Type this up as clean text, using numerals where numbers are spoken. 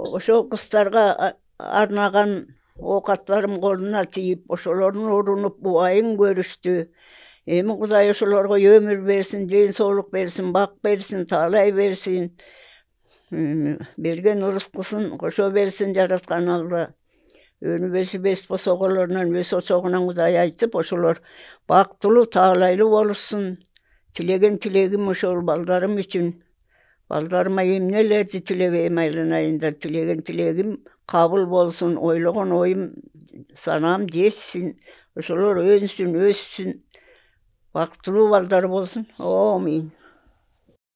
ошо кыздарга арнаган оокаттарым колуна тийип, ошолордун урунуп убайын көрүштү. Эми Кудай ошолорго өмүр берсин, ден соолук берсин, бак берсин, таалай берсин. Берген ырыскысын кошо берсин жараткан Алла. Өнүбөсү бес босоголорунан өз очогунан Кудай айтып, ошолор бактылуу, таалайлуу болушсун. Тилеген тилегим ошол балдарым үчүн. Балдарыма эмнелерди тилебейм айланайындар. Тилеген тилегим кабыл болсун, ойлогон оюм, санаам жетсин. Ошолор өнсүн, өссүн. Бактылуу балдар болсун. Амин.